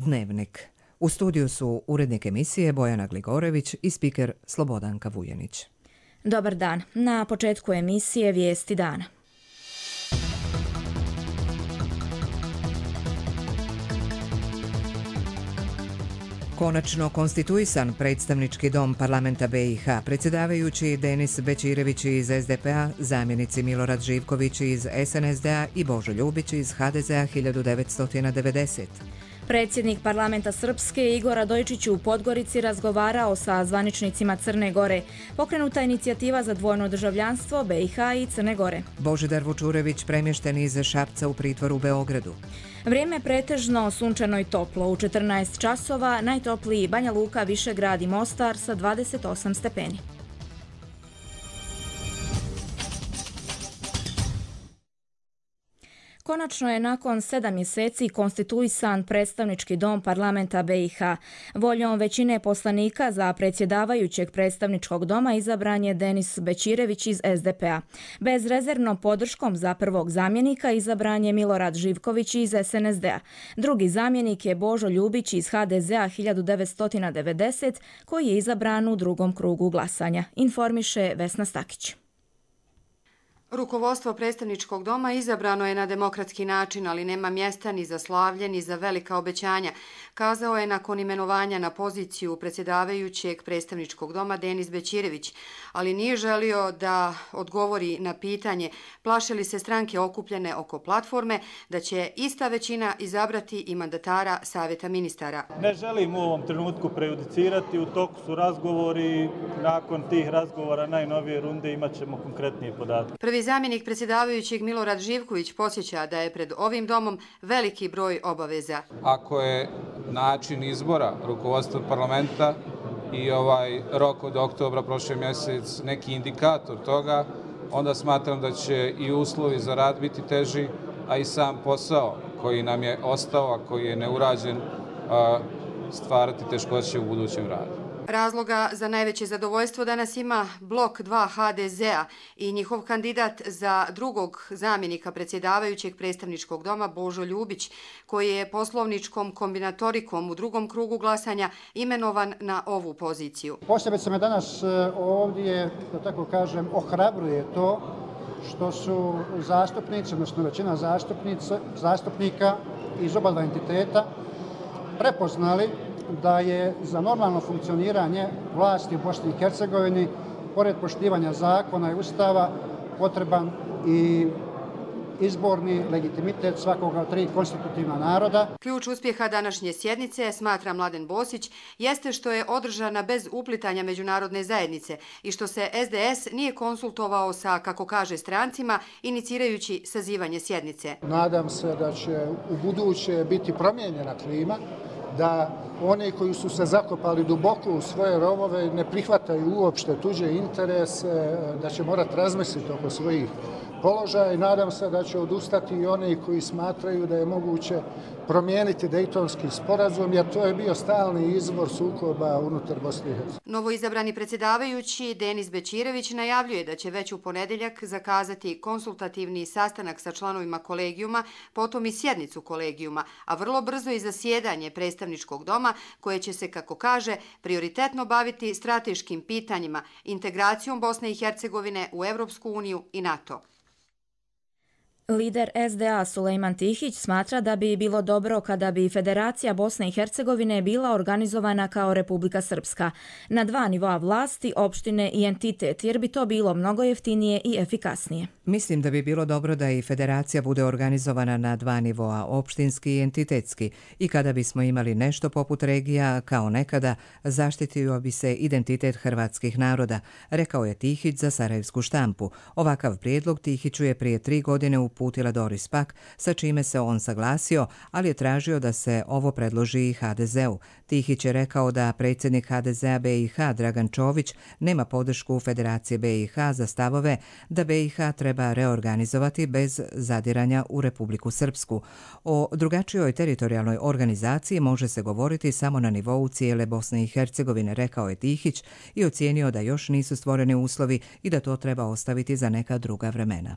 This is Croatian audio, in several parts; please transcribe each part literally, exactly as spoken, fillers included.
Dnevnik. U studiju su urednik emisije Bojana Gligorević i spiker Slobodanka Vujenić. Dobar dan. Na početku emisije Vijesti dana. Konačno konstituisan predstavnički dom parlamenta B i H, predsjedavajući Denis Bećirević iz S D P a, zamjenici Milorad Živković iz S N S D a i Božo Ljubić iz H D Z a hiljadu devetsto devedesete. Predsjednik parlamenta Srpske Igor Radojčić u Podgorici razgovarao sa zvaničnicima Crne Gore. Pokrenuta inicijativa za dvojno državljanstvo B i H i Crne Gore. Božidar Vučurević premješten iz Šapca u pritvor u Beogradu. Vrijeme pretežno sunčano i toplo. U četrnaest časova najtopliji Banja Luka, Višegrad i Mostar sa dvadeset osam stepeni. Konačno je nakon sedam mjeseci konstituisan predstavnički dom parlamenta B i H. Voljom većine poslanika za predsjedavajućeg predstavničkog doma izabran je Denis Bećirević iz S D P a. Bezrezervnom podrškom za prvog zamjenika izabran je Milorad Živković iz S N S D a. Drugi zamjenik je Božo Ljubić iz H D Z a hiljadu devetsto devedesete koji je izabran u drugom krugu glasanja, informiše Vesna Stakić. Rukovodstvo predstavničkog doma izabrano je na demokratski način, ali nema mjesta ni za slavlje, ni za velika obećanja, kazao je nakon imenovanja na poziciju predsjedavajućeg predstavničkog doma Denis Bećirević, ali nije želio da odgovori na pitanje plaše li se stranke okupljene oko platforme da će ista većina izabrati i mandatara Savjeta ministara. Ne želim u ovom trenutku prejudicirati, u toku su razgovori, nakon tih razgovora najnovije runde imat ćemo konkretnije podatke. Prvi zamjenik predsjedavajućeg Milorad Živković podsjeća da je pred ovim domom veliki broj obaveza. Ako je način izbora rukovodstva parlamenta i ovaj rok od oktobra prošle mjesec neki indikator toga, onda smatram da će i uslovi za rad biti teži, a i sam posao koji nam je ostao, a koji je neurađen, stvarati teškoće u budućem radu. Razloga za najveće zadovoljstvo danas ima blok dva H D Z a i njihov kandidat za drugog zamjenika predsjedavajućeg predstavničkog doma Božo Ljubić, koji je poslovničkom kombinatorikom u drugom krugu glasanja imenovan na ovu poziciju. Posebice me danas ovdje, da tako kažem, ohrabruje to što su zastupnici, odnosno većina zastupnika iz oba dva entiteta prepoznali da je za normalno funkcioniranje vlasti u Bosni i Hercegovini, pored poštivanja zakona i ustava, potreban i izborni legitimitet svakoga od tri konstitutivna naroda. Ključ uspjeha današnje sjednice, smatra Mladen Bosić, jeste što je održana bez uplitanja međunarodne zajednice i što se S D S nije konsultovao sa, kako kaže, strancima, inicirajući sazivanje sjednice. Nadam se da će u buduće biti promijenjena klima, da oni koji su se zakopali duboko u svoje rovove ne prihvataju uopšte tuđe interese, da će morati razmisliti oko svojih položaja i nadam se da će odustati i oni koji smatraju da je moguće promijeniti Dejtonski sporazum, jer to je bio stalni izvor sukoba unutar Bosne i Hercegovine. Novoizabrani predsjedavajući Denis Bećirević najavljuje da će već u ponedjeljak zakazati konsultativni sastanak sa članovima kolegijuma, potom i sjednicu kolegijuma, a vrlo brzo i zasjedanje predstavničkog doma koje će se, kako kaže, prioritetno baviti strateškim pitanjima, integracijom Bosne i Hercegovine u Europsku uniju i NATO. Lider S D A Sulejman Tihić smatra da bi bilo dobro kada bi Federacija Bosne i Hercegovine bila organizovana kao Republika Srpska, na dva nivoa vlasti, opštine i entitet, jer bi to bilo mnogo jeftinije i efikasnije. Mislim da bi bilo dobro da i Federacija bude organizovana na dva nivoa, opštinski i entitetski, i kada bismo imali nešto poput regija, kao nekada, zaštitio bi se identitet hrvatskih naroda, rekao je Tihić za Sarajevsku štampu. Ovakav prijedlog Tihiću je prije tri godine uputila Doris Pack, sa čime se on saglasio, ali je tražio da se ovo predloži i H D Z u. Tihić je rekao da predsjednik H D Z a B i H Dragan Čović nema podršku Federacije B i H za stavove da B i H treba reorganizovati bez zadiranja u Republiku Srpsku. O drugačijoj teritorijalnoj organizaciji može se govoriti samo na nivou cijele Bosne i Hercegovine, rekao je Tihić i ocijenio da još nisu stvoreni uslovi i da to treba ostaviti za neka druga vremena.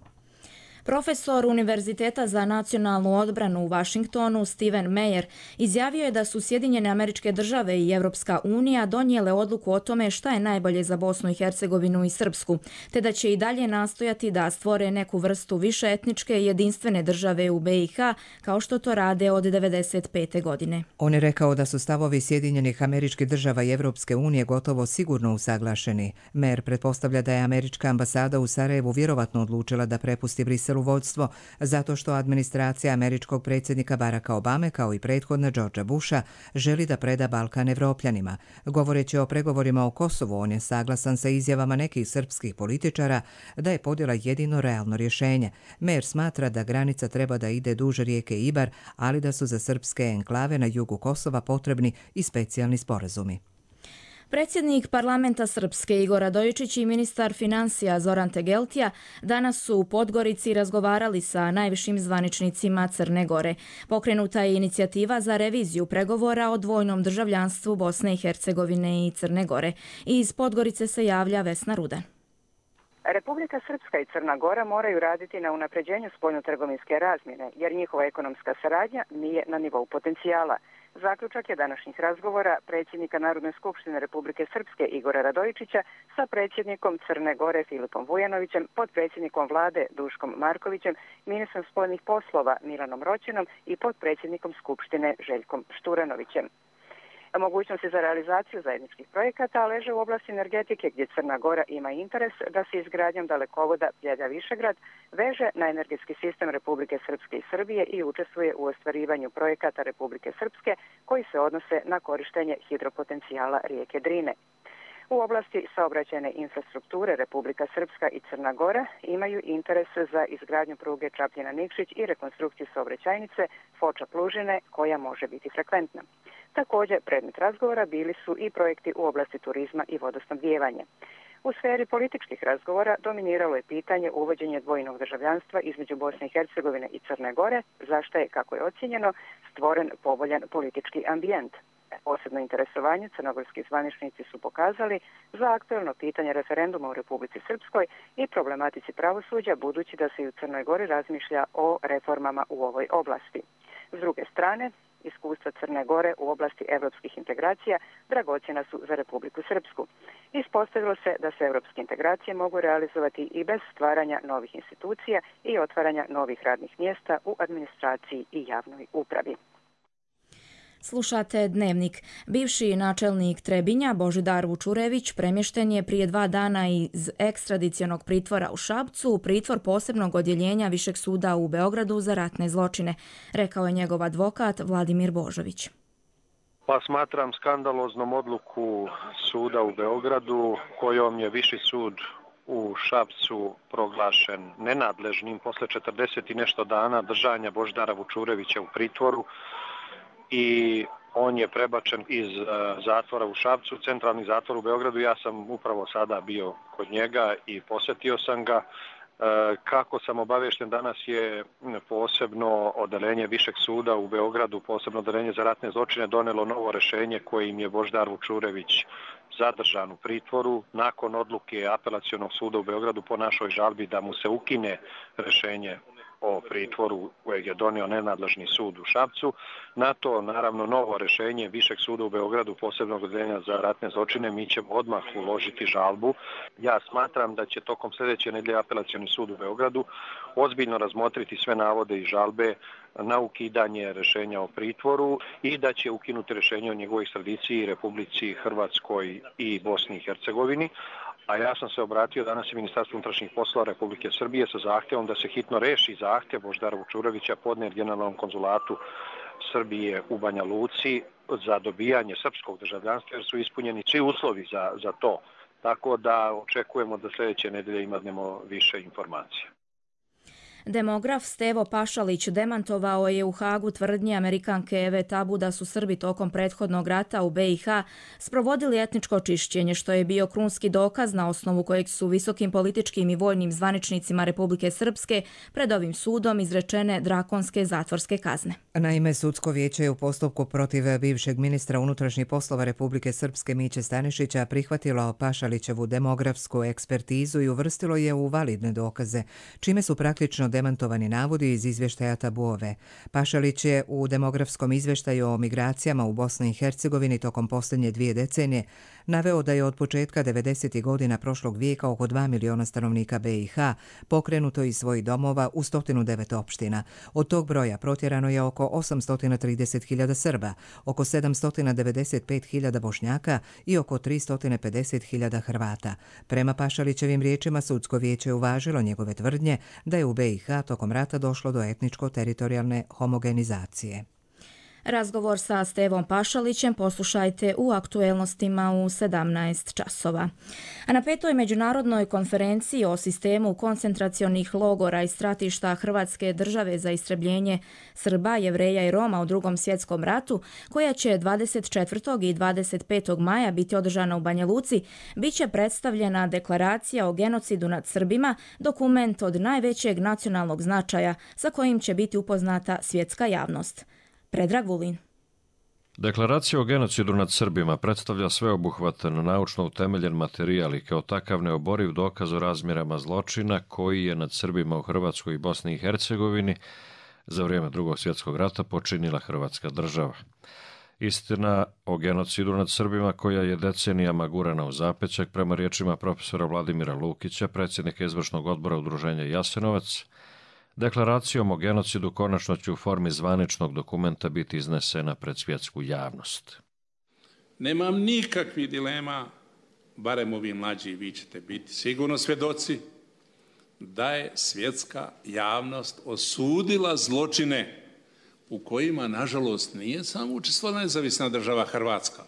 Profesor Univerziteta za nacionalnu odbranu u Vašingtonu Steven Meyer izjavio je da su Sjedinjene Američke Države i Europska unija donijele odluku o tome šta je najbolje za Bosnu i Hercegovinu i Srpsku, te da će i dalje nastojati da stvore neku vrstu višeetničke i jedinstvene države u B i H, kao što to rade od devedeset pete. godine. On je rekao da su stavovi Sjedinjenih Američkih Država i Europske unije gotovo sigurno usaglašeni. Mer pretpostavlja da je američka ambasada u Sarajevu vjerovatno odlučila da prepusti Briselu vodstvo, zato što administracija američkog predsjednika Baracka Obame, kao i prethodna Georgea Busha, želi da preda Balkan Evropljanima. Govoreći o pregovorima o Kosovu, on je saglasan sa izjavama nekih srpskih političara da je podjela jedino realno rješenje. Mer smatra da granica treba da ide duž rijeke Ibar, ali da su za srpske enklave na jugu Kosova potrebni i specijalni sporazumi. Predsjednik parlamenta Srpske Igor Radojičić i ministar financija Zoran Tegeltija danas su u Podgorici razgovarali sa najvišim zvaničnicima Crne Gore. Pokrenuta je inicijativa za reviziju pregovora o dvojnom državljanstvu Bosne i Hercegovine i Crne Gore. Iz Podgorice se javlja Vesna Rudan. Republika Srpska i Crna Gora moraju raditi na unapređenju spoljnotrgovinske razmjene, jer njihova ekonomska saradnja nije na nivou potencijala. Zaključak je današnjih razgovora predsjednika Narodne skupštine Republike Srpske Igora Radojičića sa predsjednikom Crne Gore Filipom Vujanovićem, potpredsjednikom vlade Duškom Markovićem, ministrom spoljnih poslova Milanom Roćenom i potpredsjednikom skupštine Željkom Šturanovićem. Mogućnosti za realizaciju zajedničkih projekata leže u oblasti energetike, gdje Crna Gora ima interes da se izgradnjom dalekovoda Bjelja-Višegrad veže na energetski sistem Republike Srpske i Srbije i učestvuje u ostvarivanju projekata Republike Srpske koji se odnose na korištenje hidropotencijala rijeke Drine. U oblasti saobraćajne infrastrukture Republika Srpska i Crna Gora imaju interes za izgradnju pruge Čapljina-Nikšić i rekonstrukciju saobraćajnice Foča-Plužine koja može biti frekventna. Također, predmet razgovora bili su i projekti u oblasti turizma i vodosnabdijevanja. U sferi političkih razgovora dominiralo je pitanje uvođenja dvojnog državljanstva između Bosne i Hercegovine i Crne Gore, zašto je, kako je ocjenjeno, stvoren povoljan politički ambijent. Posebno interesovanje crnogorski zvaničnici su pokazali za aktuelno pitanje referenduma u Republici Srpskoj i problematici pravosuđa, budući da se i u Crnoj Gori razmišlja o reformama u ovoj oblasti. S druge strane, iskustva Crne Gore u oblasti evropskih integracija dragocjena su za Republiku Srpsku. Ispostavilo se da se evropske integracije mogu realizovati i bez stvaranja novih institucija i otvaranja novih radnih mjesta u administraciji i javnoj upravi. Slušate Dnevnik. Bivši načelnik Trebinja Božidar Vučurević premješten je prije dva dana iz ekstradicionog pritvora u Šapcu u pritvor posebnog odjeljenja Višeg suda u Beogradu za ratne zločine, rekao je njegov advokat Vladimir Božović. Pa smatram skandaloznom odluku suda u Beogradu kojom je Viši sud u Šapcu proglašen nenadležnim posle četrdeset i nešto dana držanja Božidara Vučurevića u pritvoru, i on je prebačen iz uh, zatvora u Šapcu, centralni zatvor u Beogradu. Ja sam upravo sada bio kod njega i posjetio sam ga. Uh, kako sam obavješten, danas je posebno odeljenje Višeg suda u Beogradu, posebno odeljenje za ratne zločine, donelo novo rješenje kojim je Božidar Vučurević zadržan u pritvoru nakon odluke Apelacionog suda u Beogradu po našoj žalbi da mu se ukine rješenje o pritvoru kojeg je donio nenadležni sud u Šapcu. Na to, naravno, novo rješenje Višeg suda u Beogradu, posebnog odeljenja za ratne zločine, mi ćemo odmah uložiti žalbu. Ja smatram da će tokom sljedeće nedjelje Apelacioni sud u Beogradu ozbiljno razmotriti sve navode i žalbe na ukidanje rješenja o pritvoru i da će ukinuti rješenje o njegovoj ekstradiciji Republici Hrvatskoj i Bosni i Hercegovini. A ja sam se obratio danas i Ministarstvu unutrašnjih poslova Republike Srbije sa zahtjevom da se hitno reši zahtjev Božidara Vučurevića podnijet Generalnom konzulatu Srbije u Banja Luci za dobijanje srpskog državljanstva, jer su ispunjeni svi uslovi za, za to. Tako da očekujemo da sljedeće nedelje imamo više informacija. Demograf Stevo Pašalić demantovao je u Hagu tvrdnje Amerikanke Eve Tabu da su Srbi tokom prethodnog rata u B i H sprovodili etničko čišćenje, što je bio krunski dokaz na osnovu kojeg su visokim političkim i vojnim zvaničnicima Republike Srpske pred ovim sudom izrečene drakonske zatvorske kazne. Naime, sudsko vijeće je u postupku protiv bivšeg ministra unutrašnjih poslova Republike Srpske Miće Stanišića prihvatilo Pašalićevu demografsku ekspertizu i uvrstilo je u validne dokaze, čime su praktično demantovani navodi iz izvještaja Tabuove. Pašalić je u demografskom izvještaju o migracijama u Bosni i Hercegovini tokom posljednje dvije decenije naveo da je od početka devedesetih godina prošlog vijeka oko dva miliona stanovnika B i H pokrenuto iz svojih domova u sto devet opština. Od tog broja protjerano je oko osamsto trideset hiljada Srba, oko sedamsto devedeset pet hiljada Bošnjaka i oko tristo pedeset hiljada Hrvata. Prema Pašalićevim riječima, sudsko vijeće je uvažilo njegove tvrdnje da je u B i H tokom rata došlo do etničko-teritorijalne homogenizacije. Razgovor sa Stevom Pašalićem poslušajte u aktuelnostima u sedamnaest časova. A na petoj međunarodnoj konferenciji o sistemu koncentracionih logora i stratišta Hrvatske države za istrebljenje Srba, Jevreja i Roma u Drugom svjetskom ratu, koja će dvadeset četvrtog i dvadeset petog maja biti održana u Banja Luci, bit će predstavljena deklaracija o genocidu nad Srbima, dokument od najvećeg nacionalnog značaja sa kojim će biti upoznata svjetska javnost. Predrag Vulin. Deklaracija o genocidu nad Srbima predstavlja sveobuhvatan naučno utemeljen materijal i kao takav neoboriv dokaz o razmjerama zločina koji je nad Srbima u Hrvatskoj i Bosni i Hercegovini za vrijeme Drugog svjetskog rata počinila Hrvatska država. Istina o genocidu nad Srbima, koja je decenijama gurana u zapećak, prema riječima profesora Vladimira Lukića, predsjednika izvršnog odbora Udruženja Jasenovac, deklaracijom o genocidu konačno će u formi zvaničnog dokumenta biti iznesena pred svjetsku javnost. Nemam nikakvih dilema, barem ovi mlađi, vi ćete biti sigurno svjedoci, da je svjetska javnost osudila zločine u kojima, nažalost, nije samo učestvovala nezavisna država Hrvatska.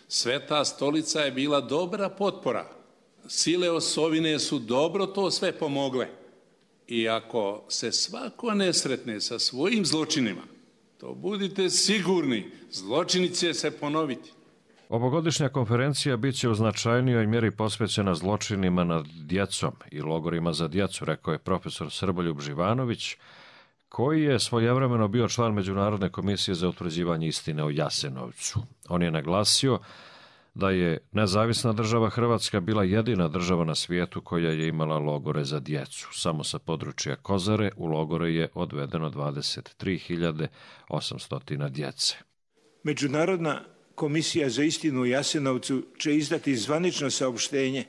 Sveta stolica je bila dobra potpora. Sile osovine su dobro to sve pomogle. I ako se svako ne sretne sa svojim zločinima, to budite sigurni, zločini će se ponoviti. Ovogodišnja konferencija bit će u značajnijoj mjeri posvećena zločinima nad djecom i logorima za djecu, rekao je profesor Srboljub Živanović, koji je svojevremeno bio član Međunarodne komisije za utvrđivanje istine o Jasenovcu. On je naglasio da je nezavisna država Hrvatska bila jedina država na svijetu koja je imala logore za djecu. Samo sa područja Kozare u logore je odvedeno dvadeset tri hiljade osamsto djece. Međunarodna komisija za istinu u Jasenovcu će izdati zvanično saopštenje.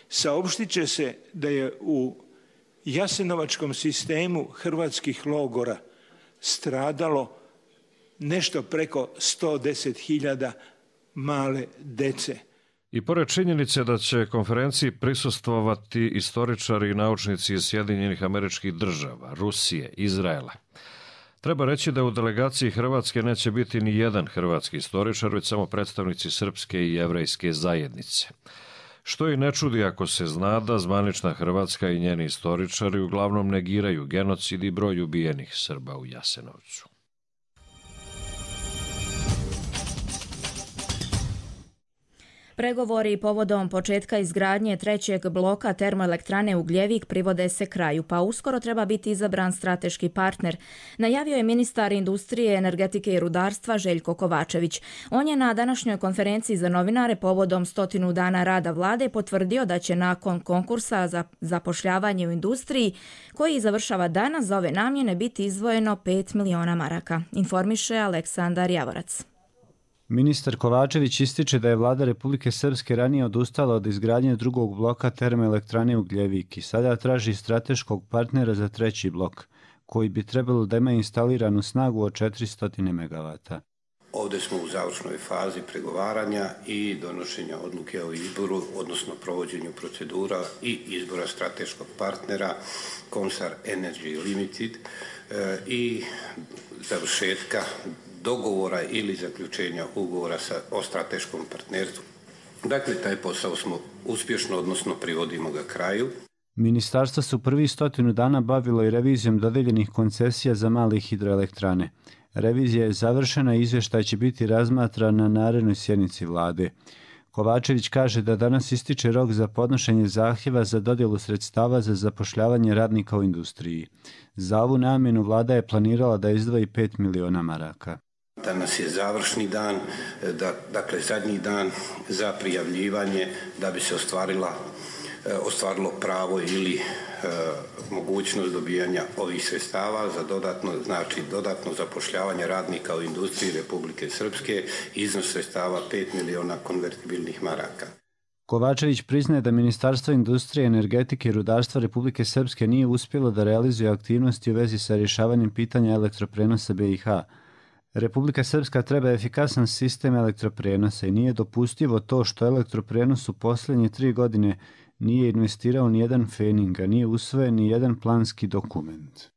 Saopštit će se da je u jasenovačkom sistemu hrvatskih logora stradalo nešto preko sto deset hiljada male dece. I pored činjenice da će konferenciji prisustvovati istoričari i naučnici iz Sjedinjenih Američkih Država, Rusije, Izraela, treba reći da u delegaciji Hrvatske neće biti ni jedan hrvatski istoričar, već samo predstavnici srpske i jevrejske zajednice. Što i ne čudi ako se zna da zvanična Hrvatska i njeni istoričari uglavnom negiraju genocid i broj ubijenih Srba u Jasenovcu. Pregovori povodom početka izgradnje trećeg bloka termoelektrane Ugljevik privode se kraju, pa uskoro treba biti izabran strateški partner, najavio je ministar industrije, energetike i rudarstva Željko Kovačević. On je na današnjoj konferenciji za novinare povodom stotinu dana rada vlade potvrdio da će nakon konkursa za zapošljavanje u industriji, koji završava danas, za ove namjene biti izdvojeno pet miliona maraka, informiše Aleksandar Javorac. Ministar Kovačević ističe da je vlada Republike Srpske ranije odustala od izgradnje drugog bloka termoelektrane Ugljevik i sada traži strateškog partnera za treći blok, koji bi trebalo da ima instaliranu snagu od četiristo megavata. Ovdje smo u završnoj fazi pregovaranja i donošenja odluke o izboru, odnosno provođenju procedura i izbora strateškog partnera Comsar Energy Limited i završetka dogovora ili zaključenja ugovora sa, o strateškom partnerstvu. Dakle, taj posao smo uspješno, odnosno privodimo ga kraju. Ministarstvo su prvi stotinu dana bavilo i revizijom dodeljenih koncesija za male hidroelektrane. Revizija je završena i izvještaj će biti razmatran na narednoj sjednici vlade. Kovačević kaže da danas ističe rok za podnošenje zahtjeva za dodjelu sredstava za zapošljavanje radnika u industriji. Za ovu namjenu vlada je planirala da izdvoji pet miliona maraka. Danas je završni dan, dakle zadnji dan za prijavljivanje da bi se ostvarila ostvarilo pravo ili mogućnost dobijanja ovih sredstava za dodatno, znači dodatno zapošljavanje radnika u industriji Republike Srpske, iznos sredstava pet miliona konvertibilnih maraka. Kovačević priznaje da Ministarstvo industrije, energetike i rudarstva Republike Srpske nije uspjelo da realizuje aktivnosti u vezi sa rješavanjem pitanja elektroprenosa B i H. Republika Srpska treba efikasan sistem elektroprenosa i nije dopustivo to što elektroprenos u posljednje tri godine nije investirao ni jedan fening, a nije usvojen ni jedan planski dokument.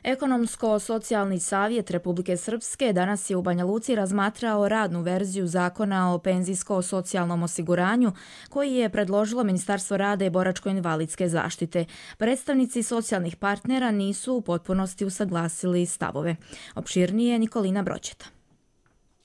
Ekonomsko-socijalni savjet Republike Srpske danas je u Banja Luci razmatrao radnu verziju zakona o penzijsko-socijalnom osiguranju koji je predložilo Ministarstvo rada i boračko-invalidske zaštite. Predstavnici socijalnih partnera nisu u potpunosti usaglasili stavove. Opširnije Nikolina Broćeta.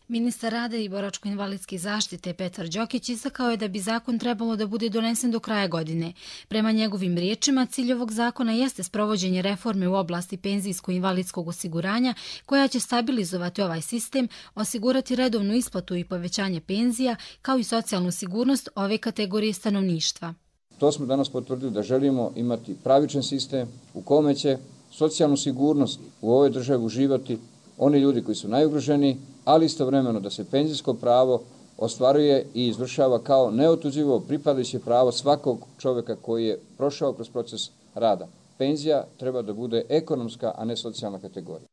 Ministar rada i boračko-invalidske zaštite Petar Đokić istakao je da bi zakon trebalo da bude donesen do kraja godine. Prema njegovim riječima, cilj ovog zakona jeste sprovođenje reforme u oblasti penzijsko-invalidskog osiguranja koja će stabilizovati ovaj sistem, osigurati redovnu isplatu i povećanje penzija, kao i socijalnu sigurnost ove kategorije stanovništva. To smo danas potvrdili da želimo imati pravičan sistem u kome će socijalnu sigurnost u ovoj državi uživati oni ljudi koji su najugroženiji, ali istovremeno da se penzijsko pravo ostvaruje i izvršava kao neotuđivo pripadajuće pravo svakog čovjeka koji je prošao kroz proces rada. Penzija treba da bude ekonomska, a ne socijalna kategorija.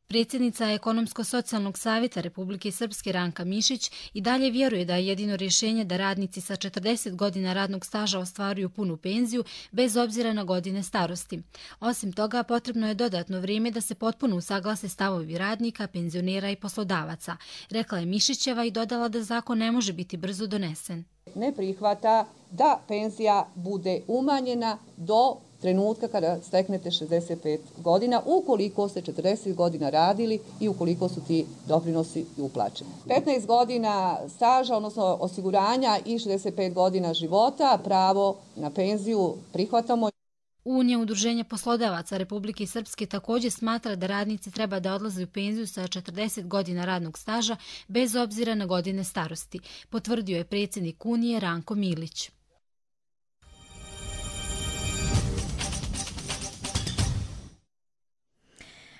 Predsjednica Ekonomsko-socijalnog savjeta Republike Srpske Ranka Mišić i dalje vjeruje da je jedino rješenje da radnici sa četrdeset godina radnog staža ostvaruju punu penziju bez obzira na godine starosti. Osim toga, potrebno je dodatno vrijeme da se potpuno usaglase stavovi radnika, penzionera i poslodavaca, rekla je Mišićeva i dodala da zakon ne može biti brzo donesen. Ne prihvata da penzija bude umanjena do trenutka kada steknete šezdeset pet godina, ukoliko ste četrdeset godina radili i ukoliko su ti doprinosi uplaćeni. petnaest godina staža, odnosno osiguranja i šezdeset pet godina života, pravo na penziju prihvatamo. Unija udruženja poslodavaca Republike Srpske također smatra da radnici treba da odlaze u penziju sa četrdeset godina radnog staža bez obzira na godine starosti, potvrdio je predsjednik Unije Ranko Milić.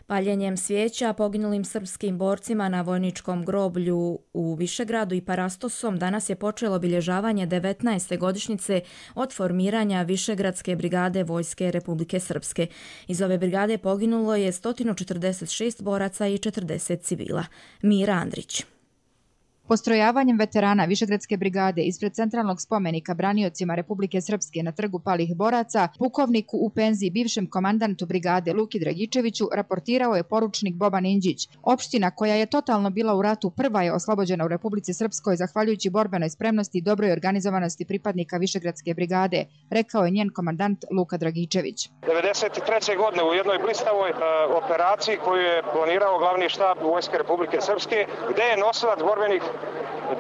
Paljenjem svijeća poginulim srpskim borcima na vojničkom groblju u Višegradu i Parastosom danas je počelo obilježavanje devetnaeste godišnjice od formiranja Višegradske brigade Vojske Republike Srpske. Iz ove brigade poginulo je sto četrdeset šest boraca i četrdeset civila. Mira Andrić. Postrojavanjem veterana Višegradske brigade ispred centralnog spomenika braniocima Republike Srpske na trgu palih boraca, pukovniku u penziji bivšem komandantu brigade Luki Dragičeviću raportirao je poručnik Boban Inđić. Opština koja je totalno bila u ratu prva je oslobođena u Republici Srpskoj zahvaljujući borbenoj spremnosti i dobroj organizovanosti pripadnika Višegradske brigade, rekao je njen komandant Luka Dragičević. devedeset treće godine u jednoj blistavoj uh, operaciji koju je planirao glavni štab Vojske Republike Srpske, gde je nosilac borbenih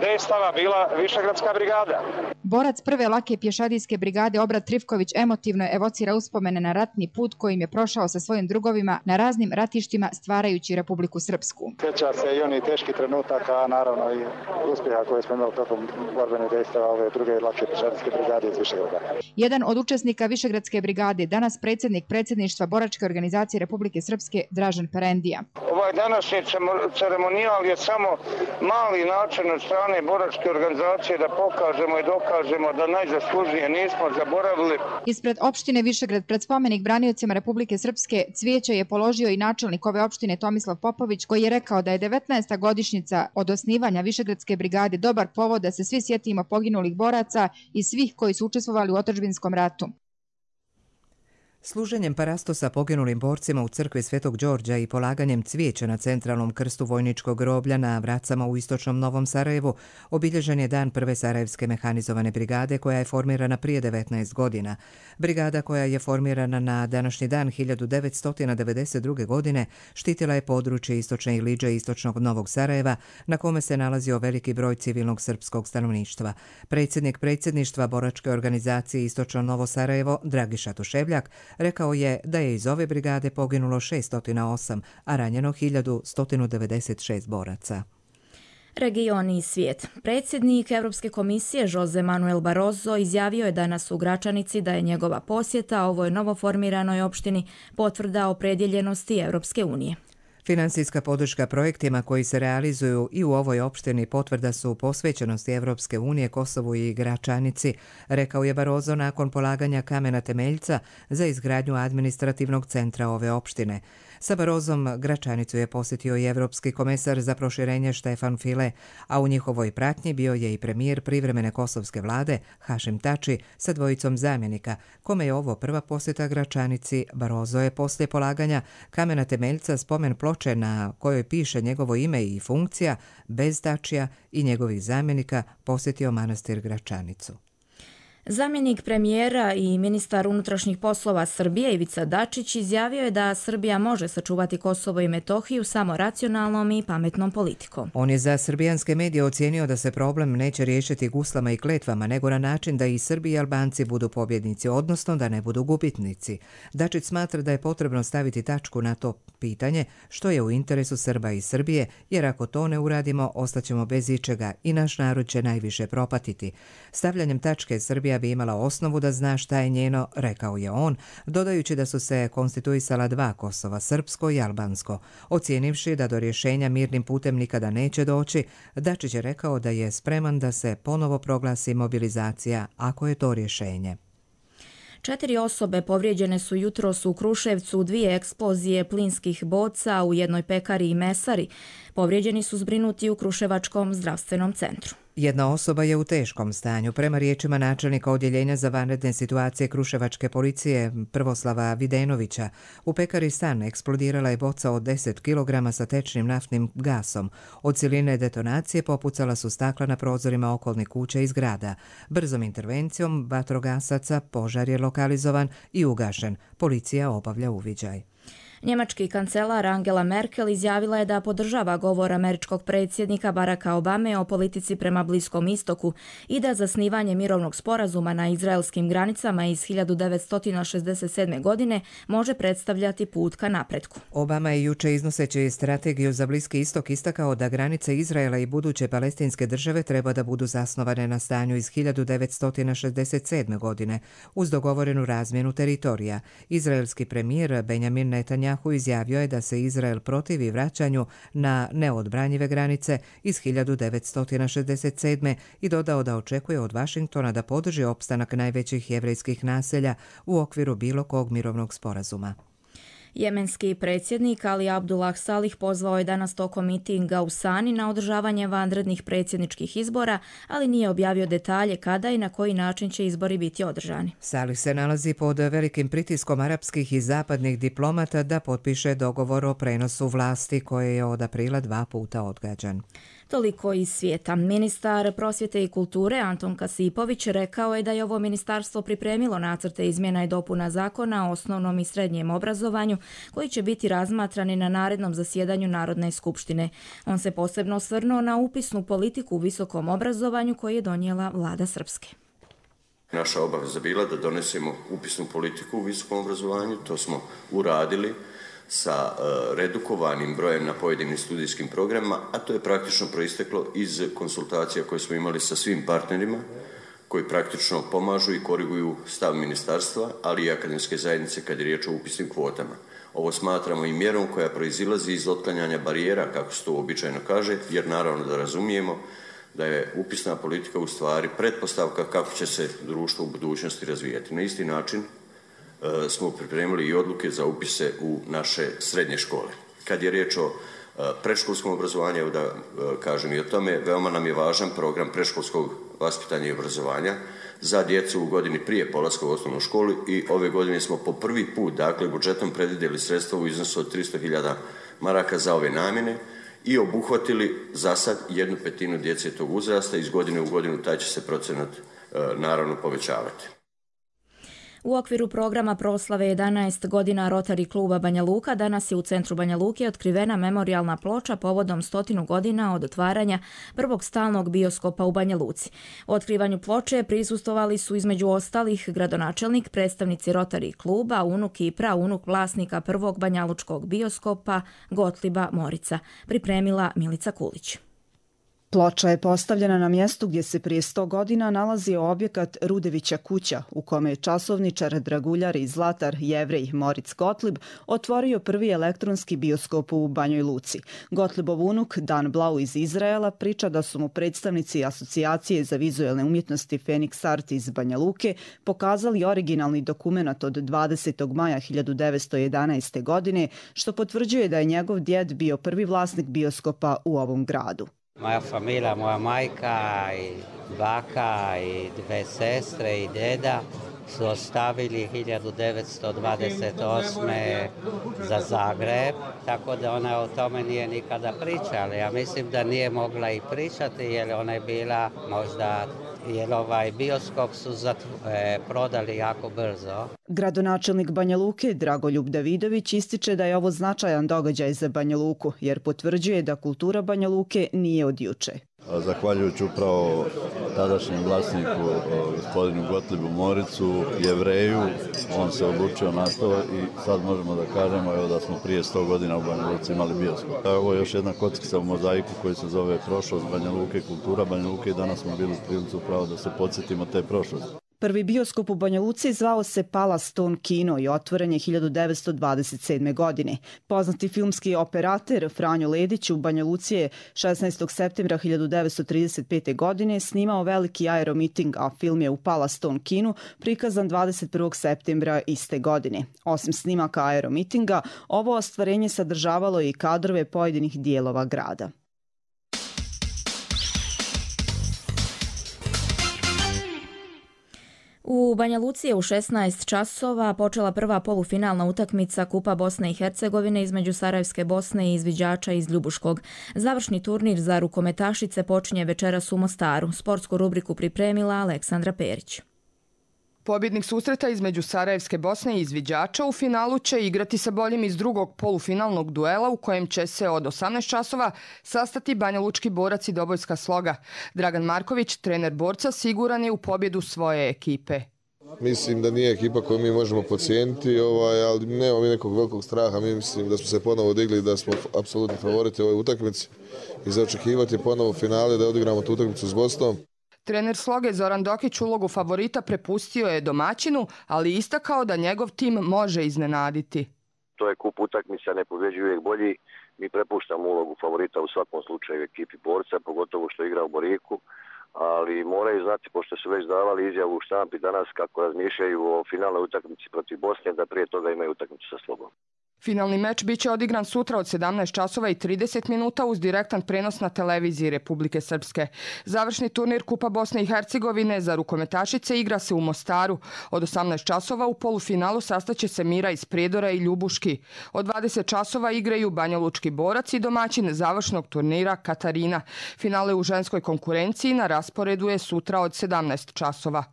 dejstava bila Višegradska brigada. Borac prve lake pješadijske brigade Obrat Trifković emotivno evocira uspomene na ratni put kojim je prošao sa svojim drugovima na raznim ratištima stvarajući Republiku Srpsku. Sjeća se i oni teški trenutaka, a naravno i uspjeha koje smo imali tokom borbenih dejstava ove druge lake pješadijske brigade iz Višegrada. Jedan od učesnika Višegradske brigade, danas predsjednik predsjedništva Boračke organizacije Republike Srpske Dražen Perendija. Ovaj današnji ceremonijal je samo mali način od strane Boračke organizacije da pokažemo i dokažemo da najzaslužnije nismo zaboravili. Ispred opštine Višegrad pred spomenik braniocima Republike Srpske cvijeće je položio i načelnik ove opštine Tomislav Popović, koji je rekao da je devetnaesta godišnjica od osnivanja Višegradske brigade dobar povod da se svi sjetimo poginulih boraca i svih koji su učestvovali u otadžbinskom ratu. Služenjem parastosa poginulim borcima u crkvi Svetog Đorđa i polaganjem cvijeća na centralnom krstu vojničkog groblja na Vracama u istočnom Novom Sarajevu obilježen je dan prve Sarajevske mehanizovane brigade koja je formirana prije devetnaest godina. Brigada koja je formirana na današnji dan hiljadu devetsto devedeset druge. godine štitila je područje istočne Iliđe i istočnog Novog Sarajeva na kome se nalazio veliki broj civilnog srpskog stanovništva. Predsjednik predsjedništva Boračke organizacije Istočno Novo Sarajevo Dragiša Tuševljak rekao je da je iz ove brigade poginulo šeststo osam, a ranjeno hiljadu sto devedeset šest boraca. Regioni i svijet. Predsjednik Europske komisije Jose Manuel Barroso izjavio je danas u Gračanici da je njegova posjeta ovoj novoformiranoj opštini potvrda opredjeljenosti Europske unije. Financijska podrška projektima koji se realizuju i u ovoj opštini potvrda su posvećenosti Evropske unije Kosovu i Gračanici, rekao je Barroso nakon polaganja kamena temeljca za izgradnju administrativnog centra ove opštine. Sa Barrosom Gračanicu je posjetio i Evropski komesar za proširenje Štefan File, a u njihovoj pratnji bio je i premijer privremene kosovske vlade Hašim Tači sa dvojicom zamjenika, kome je ovo prva posjeta Gračanici. Barroso je poslije polaganja kamena temeljca spomen ploče na kojoj piše njegovo ime i funkcija bez Tačija i njegovih zamjenika posjetio manastir Gračanicu. Zamjenik premijera i ministar unutrašnjih poslova Srbije Ivica Dačić izjavio je da Srbija može sačuvati Kosovo i Metohiju samo racionalnom i pametnom politikom. On je za srbijanske medije ocijenio da se problem neće riješiti guslama i kletvama, nego na način da i Srbi i Albanci budu pobjednici, odnosno da ne budu gubitnici. Dačić smatra da je potrebno staviti tačku na to pitanje, što je u interesu Srba i Srbije, jer ako to ne uradimo, ostaćemo bez ičega i naš narod će najviše propatiti. Stavljanjem tačke Srbija bi imala osnovu da zna šta je njeno, rekao je on, dodajući da su se konstituisala dva Kosova, srpsko i albansko. Ocijenivši da do rješenja mirnim putem nikada neće doći, Dačić je rekao da je spreman da se ponovo proglasi mobilizacija ako je to rješenje. Četiri osobe povrijeđene su jutros u Kruševcu u dvije eksplozije plinskih boca u jednoj pekari i mesari. Povrijeđeni su zbrinuti u Kruševačkom zdravstvenom centru. Jedna osoba je u teškom stanju. Prema riječima načelnika odjeljenja za vanredne situacije Kruševačke policije Prvoslava Videnovića, u pekari Stan eksplodirala je boca od deset kilograma sa tečnim naftnim gasom. Od siline detonacije popucala su stakla na prozorima okolnih kuća i zgrada. Brzom intervencijom vatrogasaca požar je lokalizovan i ugašen. Policija obavlja uviđaj. Njemački kancelar Angela Merkel izjavila je da podržava govor američkog predsjednika Baracka Obame o politici prema Bliskom istoku i da zasnivanje mirovnog sporazuma na izraelskim granicama iz hiljadu devetsto šezdeset sedme. godine može predstavljati put ka napretku. Obama je juče iznoseći strategiju za Bliski istok istakao da granice Izraela i buduće palestinske države treba da budu zasnovane na stanju iz hiljadu devetsto šezdeset sedme. godine uz dogovorenu razmjenu teritorija. Izraelski premijer Benjamin Netanjahu izjavio je da se Izrael protivi vraćanju na neodbranjive granice iz hiljadu devetsto šezdeset sedme. i dodao da očekuje od Vašingtona da podrži opstanak najvećih jevrejskih naselja u okviru bilo kog mirovnog sporazuma. Jemenski predsjednik Ali Abdullah Salih pozvao je danas tokom mitinga u Sani na održavanje vanrednih predsjedničkih izbora, ali nije objavio detalje kada i na koji način će izbori biti održani. Salih se nalazi pod velikim pritiskom arapskih i zapadnih diplomata da potpiše dogovor o prenosu vlasti koje je od aprila dva puta odgađan. Toliko iz svijeta. Ministar prosvjete i kulture Anton Kasipović rekao je da je ovo ministarstvo pripremilo nacrte izmjena i dopuna zakona o osnovnom i srednjem obrazovanju koji će biti razmatrani na narednom zasjedanju Narodne skupštine. On se posebno osvrnuo na upisnu politiku u visokom obrazovanju koju je donijela vlada Srpske. Naša obaveza bila da donesemo upisnu politiku u visokom obrazovanju, to smo uradili sa redukovanim brojem na pojedinim studijskim programima, a to je praktično proisteklo iz konsultacija koje smo imali sa svim partnerima koji praktično pomažu i koriguju stav ministarstva, ali i akademske zajednice kad je riječ o upisnim kvotama. Ovo smatramo i mjerom koja proizilazi iz otklanjanja barijera, kako se to uobičajeno kaže, jer naravno da razumijemo da je upisna politika u stvari pretpostavka kako će se društvo u budućnosti razvijati. Na isti način smo pripremili i odluke za upise u naše srednje škole. Kad je riječ o predškolskom obrazovanju, evo da kažem i o tome, veoma nam je važan program predškolskog vaspitanja i obrazovanja za djecu u godini prije polaska u osnovnu školu i ove godine smo po prvi put, dakle, budžetom predvidjeli sredstva u iznosu od tristo hiljada maraka za ove namjene i obuhvatili za sad jednu petinu djece tog uzrasta. Iz godine u godinu taj će se procenat naravno povećavati. U okviru programa proslave jedanaest godina Rotary kluba Banja Luka danas je u centru Banja Luke otkrivena memorijalna ploča povodom stotinu godina od otvaranja prvog stalnog bioskopa u Banja Luci. U otkrivanju ploče prisustvovali su između ostalih gradonačelnik, predstavnici Rotary kluba, unuk i praunuk vlasnika prvog banjalučkog bioskopa Gotliba Morica. Pripremila Milica Kulić. Ploča je postavljena na mjestu gdje se prije sto godina nalazio objekat Rudevića kuća, u kome je časovničar, draguljar i zlatar Jevrej Moritz Gottlieb otvorio prvi elektronski bioskop u Banjoj Luci. Gottliebov unuk Dan Blau iz Izraela priča da su mu predstavnici Asocijacije za vizualne umjetnosti Phoenix Art iz Banja Luke pokazali originalni dokument od dvadesetog maja hiljadu devetsto jedanaeste. godine, što potvrđuje da je njegov djed bio prvi vlasnik bioskopa u ovom gradu. Moja familija, moja majka i baka i dve sestre i djeda su ostavili hiljadu devetsto dvadeset osme. za Zagreb, tako da ona o tome nije nikada pričala. Ja mislim da nije mogla i pričati jer ona je bila možda, jer ovaj bioskop su zatv... e, prodali jako brzo. Gradonačelnik Banja Luke Dragoljub Davidović ističe da je ovo značajan događaj za Banja Luku, jer potvrđuje da kultura Banja Luke nije od juče. Zahvaljujući upravo tadašnjem vlasniku, gospodinu Gottlibu Moricu, Jevreju, on se odlučio na to i sad možemo da kažemo evo, da smo prije sto godina u Banja Luci imali bioskop. Ovo je još jedna kockica u mozaiku koji se zove prošlost Banja Luke, kultura Banja Luke i danas smo bili u prilici upravo da se podsjetimo te prošlosti. Prvi bioskop u Banja Luci zvao se Palace Stone Kino i otvoren je hiljadu devetsto dvadeset sedme. godine. Poznati filmski operater Franjo Ledić u Banja Luci je šesnaestog septembra hiljadu devetsto trideset pete. godine snimao veliki aeromiting, a film je u Palace Stone Kinu prikazan dvadeset prvog septembra iste godine. Osim snimaka aeromitinga, ovo ostvarenje sadržavalo i kadrove pojedinih dijelova grada. U Banja Luci je u šesnaest časova počela prva polufinalna utakmica Kupa Bosne i Hercegovine između Sarajevske Bosne i izviđača iz Ljubuškog. Završni turnir za rukometašice počinje večeras u Mostaru. Sportsku rubriku pripremila Aleksandra Perić. Pobjednik susreta između Sarajevske Bosne i izviđača u finalu će igrati sa boljim iz drugog polufinalnog duela u kojem će se od osamnaest časova sastati banjalučki borac i dobojska sloga. Dragan Marković, trener borca, siguran je u pobjedu svoje ekipe. Mislim da nije ekipa koju mi možemo podcijeniti, ovaj, ali nemamo mi nekog velikog straha. Mi mislim da smo se ponovo digli, da smo apsolutni favoriti u ovoj utakmici i za očekivati ponovo finale da odigramo tu utakmicu s Bosnom. Trener sloge Zoran Dokić ulogu favorita prepustio je domaćinu, ali istakao da njegov tim može iznenaditi. To je kup utakmica, ne pobjeđuje uvijek bolji. Mi prepuštamo ulogu favorita u svakom slučaju ekipi borca, pogotovo što igra u Boriku, ali moraju znati, pošto su već davali izjavu u štampi danas kako razmišljaju o finalnoj utakmici protiv Bosne, da prije toga imaju utakmicu sa Slogom. Finalni meč biće odigran sutra od sedamnaest časova i trideset minuta uz direktan prenos na televiziji Republike Srpske. Završni turnir Kupa Bosne i Hercegovine za rukometašice igra se u Mostaru. Od osamnaest časova u polufinalu sastaće se Mira iz Prijedora i Ljubuški. Od dvadeset časova igraju banjalučki borac i domaćin završnog turnira Katarina. Finale u ženskoj konkurenciji na rasporedu je sutra od sedamnaest časova.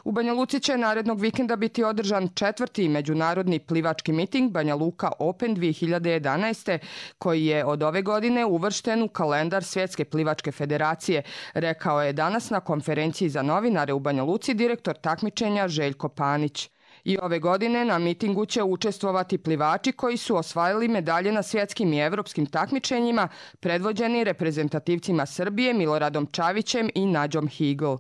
U Banja Luci će narednog vikenda biti održan četvrti međunarodni plivački miting Banja Luka Open dvije hiljade jedanaeste. koji je od ove godine uvršten u kalendar Svjetske plivačke federacije, rekao je danas na konferenciji za novinare u Banja Luci direktor takmičenja Željko Panić. I ove godine na mitingu će učestvovati plivači koji su osvajali medalje na svjetskim i evropskim takmičenjima, predvođeni reprezentativcima Srbije Miloradom Čavićem i Nađom Higl.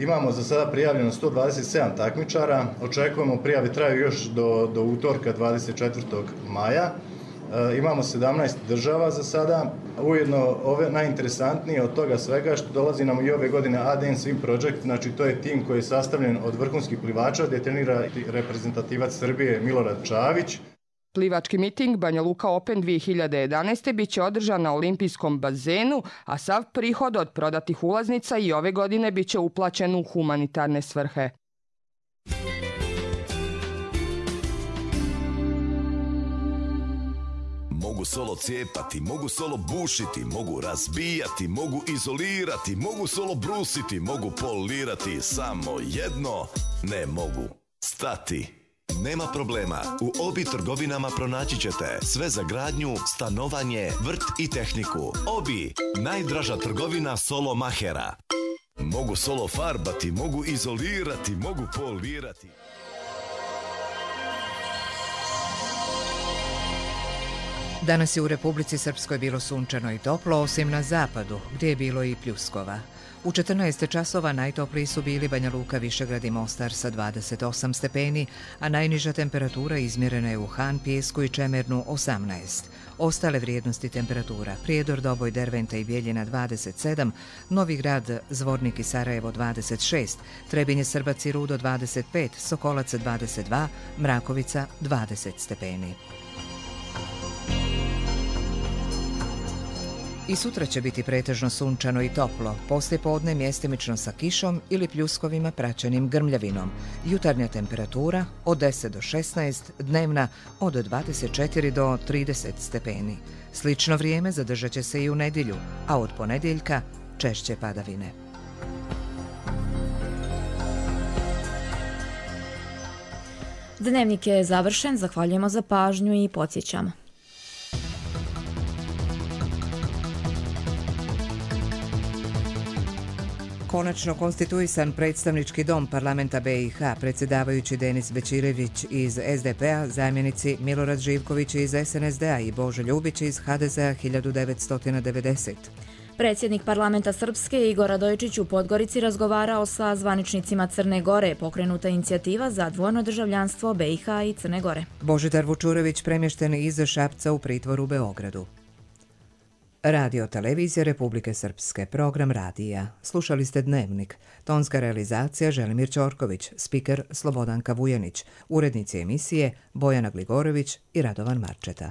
Imamo za sada prijavljeno sto dvadeset sedam takmičara, očekujemo prijave traju još do, do utorka dvadeset četvrtog maja. E, imamo sedamnaest država za sada, ujedno ove najinteresantnije od toga svega što dolazi nam i ove godine A D N Swim Project, znači to je tim koji je sastavljen od vrhunskih plivača gdje trenira reprezentativac Srbije Milorad Čavić. Plivački miting Banja Luka Open dvije hiljade jedanaeste biće održan na olimpijskom bazenu, a sav prihod od prodatih ulaznica i ove godine biće uplaćen u humanitarne svrhe. Mogu solo cijepati, mogu solo bušiti, mogu razbijati, mogu izolirati, mogu solo brusiti, mogu polirati, samo jedno ne mogu stati. Nema problema, u Obi trgovinama pronaći ćete sve za gradnju, stanovanje, vrt i tehniku. Obi, najdraža trgovina solo mahera. Mogu solo farbati, mogu izolirati, mogu polirati. Danas je u Republici Srpskoj bilo sunčano i toplo, osim na zapadu, gdje je bilo i pljuskova. U četrnaest časova najtopliji su bili Banja Luka, Višegrad i Mostar sa dvadeset osam stepeni, a najniža temperatura izmjerena je u Han, Pijesku i Čemernu osamnaest. Ostale vrijednosti temperatura: Prijedor, Doboj, Derventa i Bijeljina dvadeset sedam, Novi Grad, Zvornik i Sarajevo dvadeset šest, Trebinje, Srbac i Rudo dvadeset pet, Sokolac dvadeset dva, Mrakovica dvadeset stepeni. I sutra će biti pretežno sunčano i toplo, poslije podne mjestimično sa kišom ili pljuskovima praćenim grmljavinom. Jutarnja temperatura od deset do šesnaest, dnevna od dvadeset četiri do trideset stepeni. Slično vrijeme zadržat će se i u nedjelju, a od ponedjeljka češće padavine. Dnevnik je završen, zahvaljujemo za pažnju i podsjećamo. Konačno konstituisan predstavnički dom parlamenta be i ha, predsjedavajući Denis Bećirević iz es de pe a, zamjenici Milorad Živković iz es en es de a i Božo Ljubić iz ha de ze a hiljadu devetsto devedeset. Predsjednik parlamenta Srpske Igor Radojičić u Podgorici razgovarao sa zvaničnicima Crne Gore, pokrenuta inicijativa za dvojno državljanstvo be i ha i Crne Gore. Božidar Vučurović premješten iz Šapca u pritvor u Beogradu. Radio Televizija Republike Srpske, program radija. Slušali ste Dnevnik. Tonska realizacija Želimir Ćorković, spiker Slobodanka Vujanić, urednici emisije Bojana Gligorović i Radovan Marčeta.